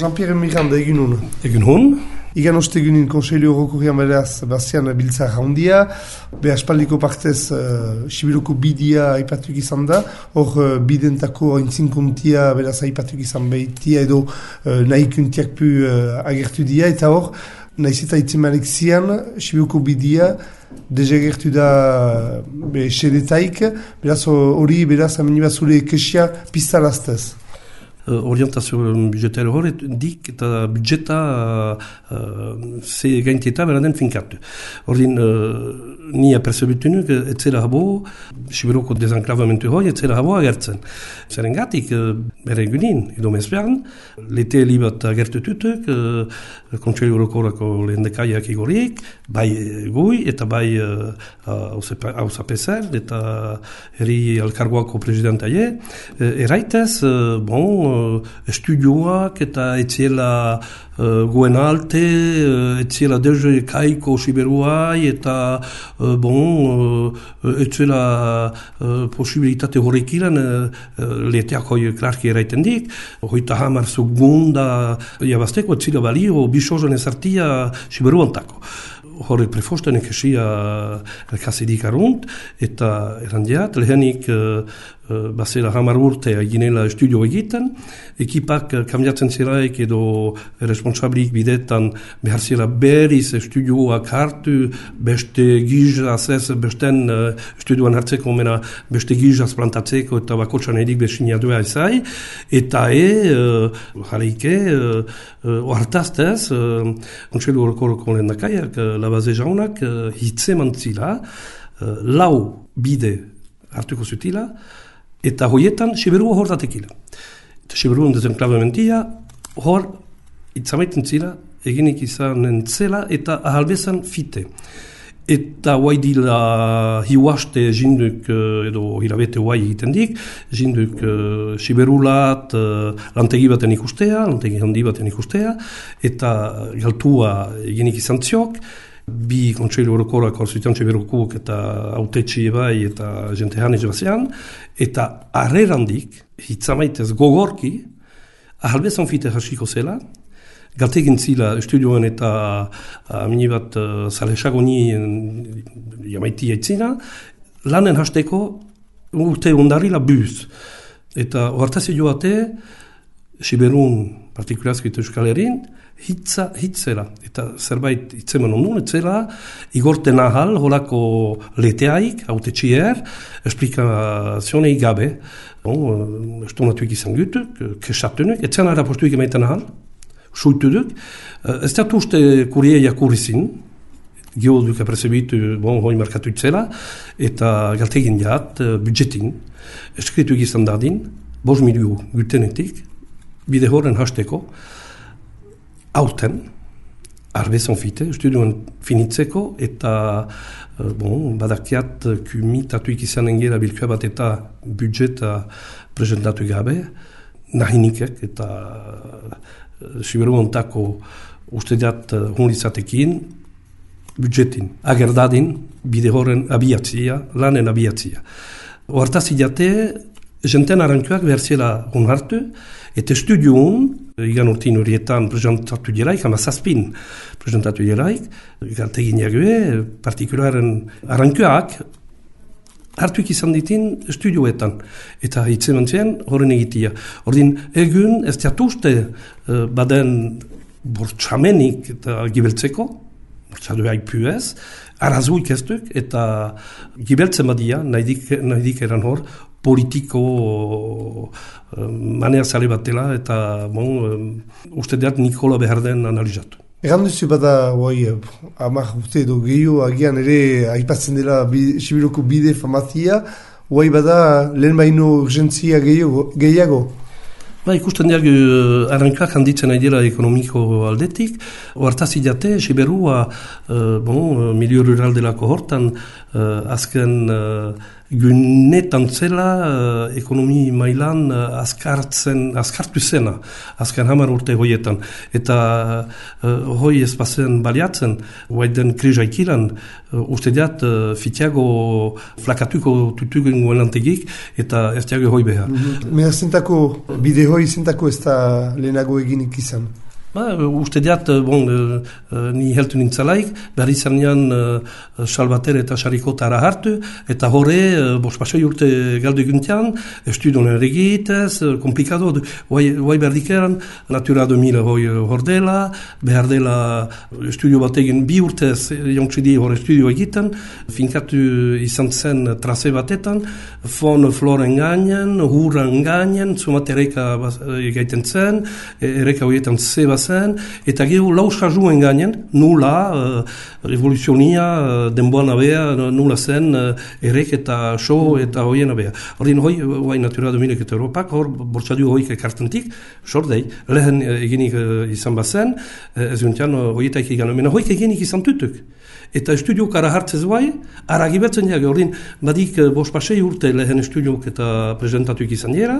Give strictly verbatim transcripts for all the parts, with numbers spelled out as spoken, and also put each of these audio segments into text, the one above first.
Jean-Pierre Miranda egin hon. Egin hon. Igan ostegunin Konseilio Orokorrian beraz bazian biltzar handia, be aspaldiko partez uh, Sibiruko bidia aipatuk izan da, hor uh, bidentako aintzinkontia beraz aipatuk izan behitia edo uh, nahikuntiak pu uh, agertu dia, eta hor, nahiz eta itzimanek zian, Sibiruko bidia dezagertu da be sedetaik, beraz hori beraz amenibazule kesia piztalaztez. Uh, orientazio budgetari horret dik eta budgeta uh, ze gaintieta beraden finkatu. Ordin, uh, ni apercebitu nuk, etzela habo, Sibiroko desenklavamentu hori, etzela habo agertzen. Zeren gatik, uh, bere egunin, edo mezbean, lete libat agertu tutuk, uh, Kontseilu Orokorrako lehendakariak igoriek, bai gui, eta bai hausapezer, uh, eta herri alkargoako presidentaie, uh, eraitez, uh, bon, estudioak eta etziela uh, guen alte, uh, etziela deje kaiko Siberuai eta uh, bon, uh, etziela uh, posibilitate horrekilan uh, leteak hoi klarki eraiten dik, hoita hamar segunda jabazteko etzila balio bisozen ezartia Siberuantako. Horrek prefosten ekesia elkazidik arunt, eta erandiat, lehenik uh, uh, bazela hamar urte eginela estudio egiten, ekipak uh, kambiatzen ziraik edo responsablik bidetan behar zira berriz estudioak hartu, beste gizaz ez, besten uh, estudioan hartzeko mena beste gizaz plantatzeko eta bakotxan edik besinadua ezai, eta e, uh, jarrike, uh, uh, oartaztez, uh, Kontseilu Orokorreko lehendakariak, uh, Labaze jaunak uh, hitze mantzila, uh, lau bide hartuko zutila, eta hoietan Siberua hor datekila. Eta Siberuan desenklavamentia hor itzamaiten zila, eginik izanen zela eta ahalbezan fite. Eta guai dila hiuaste jinduk edo hilabete guai egiten dik, jinduk uh, Siberulat uh, lantegi baten ikustea, lantegi handi baten ikustea, eta galtua eginik izan ziok, bi Kontseilu Orokorrak orzuitan Siberukuk eta autetxi ebai eta jente hanez bazean, eta arrerandik, hitzamaitez gogorki, ahalbezan fite hasiko zela, galtegin zila estudioan eta amini bat uh, salesagoni jamaiti aitzina, lanen hasteko urte ondarila buz. Eta ohartazi joate, Siberun, partikularski eta Euskal Herrin, hitza, hitzera. Eta zerbait hitzemen ondun, etzela, igorten ahal, holako leteaik, autetxier, esplikazionei gabe. Bon, estonatuik izan gutuk, kesatunek, etzen ara postuik emaiten ahal, suitu duk. Ez da uste kurie jakurrizin, gio duk aprezebitu, bon, hoi markatu itzela, eta galtegin jat, budjetin, eskritu egizan dadin, bos miliu gultenetik, bide horren hasteko, aurten, arbezan fite, estudioan finitzeko, eta bon, badakiat kumitatuik izanen gera bilkua bat eta budjeta presentatu gabe, nahinikek eta Siberuantako uste dat hunlizatekin budjetin, agerdadin bide horren abiatzia, lanen abiatzia. Oartazi jate, jenten arantuak behar zela hon hartu, eta estudioun, igan urtin horietan presentatu diraik, ama zazpin presentatu diraik, galtegin jague, partikularen arantuak, hartuik izan ditin estudioetan, eta hitze mantzen horren egitia. Ordin, egun ez diatuzte uh, baden bortxamenik eta gibeltzeko, bortxaduak puez, arazuik ez duk, eta gibeltzen badia, nahi dik eran hor, politiko uh, manea zale batela, eta bon, uh, uste deat Nikola behar den analizatu. Egan duzu bada, oi, amak urte edo gehiago agian ere aipatzen dela bi, Sibiroko bide famazia, oi bada lehen baino urgentzia gehiago? gehiago. Ba, ikusten diag uh, arrankak handitzen nahi dela ekonomiko aldetik, oartazi jate, Siberua, uh, bon, milio rural delako hortan, uh, azken uh, gunetan zela uh, ekonomi mailan uh, azkartzen, azkartu zena, azkar hamar urte hoietan. Eta uh, hoi ez bazen baliatzen, guaiden krizaikilan, uh, uste diat uh, fitiago flakatuko tutugen guelantegik, eta ez diago hoi behar. Mm-hmm. Mea zentako, bide hoi zentako ez da lehenago eginik izan? Ba, uste diat, bon, uh, ni heltu nintzalaik, behar izan nian uh, Salvater eta Sarikotara hartu, eta horre, uh, bos pasoi urte galdu eguntian, estudioen erregitez, uh, komplikado, guai behar dikeran, Natura deux mille hoi hor dela, behar dela estudio bat egin bi urtez, jontsidi hor estudio egiten, finkatu izan zen traze batetan, fon floren gainen, hurran gainen, zumat ereka gaiten zen, ereka horietan zeba zen, eta gero lauska juen gainen, nula, uh, revoluzionia, uh, denboan abea, nula zen, uh, erek eta so eta hoien abea. Horien hoi, hoi Natura deux mille eta Europak, hor bortxadu hoik ekartentik, sordei, lehen uh, eginik uh, izan bazen, uh, ez guntian uh, hoietaik egan, mena hoik eginik izan tutuk. Eta estudiok ara hartzez bai, ara gibetzen jage, horien badik uh, bos pasei urte lehen estudiok eta presentatuik izan dira,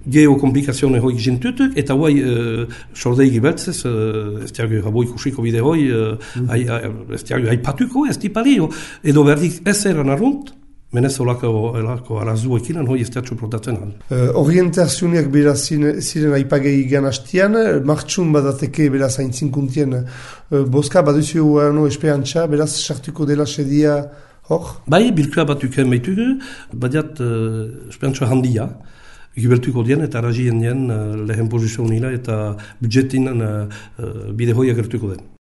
geokomplikazione hoi gintutuk, eta guai uh, sordei gibeltzez, uh, ez diago raboi kusiko bide hoi, uh, mm-hmm. ez diago haipatuko, ez tipalio, edo berdik ez eran arrunt, menez olako, olako arazu ekinan hoi ez diatxo protatzen hal. Uh, orientazioak beraz ziren aipagei gan hastian, martxun badateke beraz haintzinkuntien uh, boska, baduzio no esperantza, beraz sartuko dela sedia hor? Bai, bilkua batuken baitugu, badiat uh, esperantza handia, gibeltuko dien eta arrazien dien uh, lehen pozizio nila eta budjetin uh, uh, bide hoi agertuko den.